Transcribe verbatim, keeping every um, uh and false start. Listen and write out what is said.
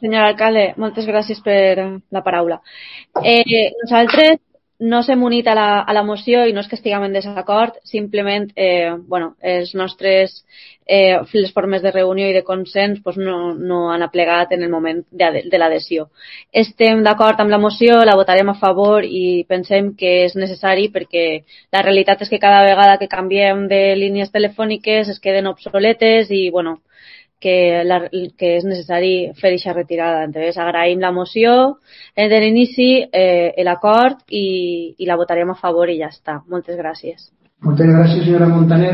Senyor alcalde, moltes gràcies per la paraula. Eh, nosaltres no s'hem unit a la, a la moció i no és que estiguem en desacord, simplement eh, bueno, els nostres eh, les formes de reunió i de consens pues, no, no han aplegat en el moment de, de l'adhesió. Estem d'acord amb la moció, la votarem a favor i pensem que és necessari perquè la realitat és que cada vegada que canviem de línies telefòniques es queden obsoletes i bueno, que, la, que és necessari fer aquesta retirada. Entonces, agraïm la moció de l'inici, eh, l'acord i, i la votarem a favor i ja està. Moltes gràcies. Moltes gràcies, senyora Montaner.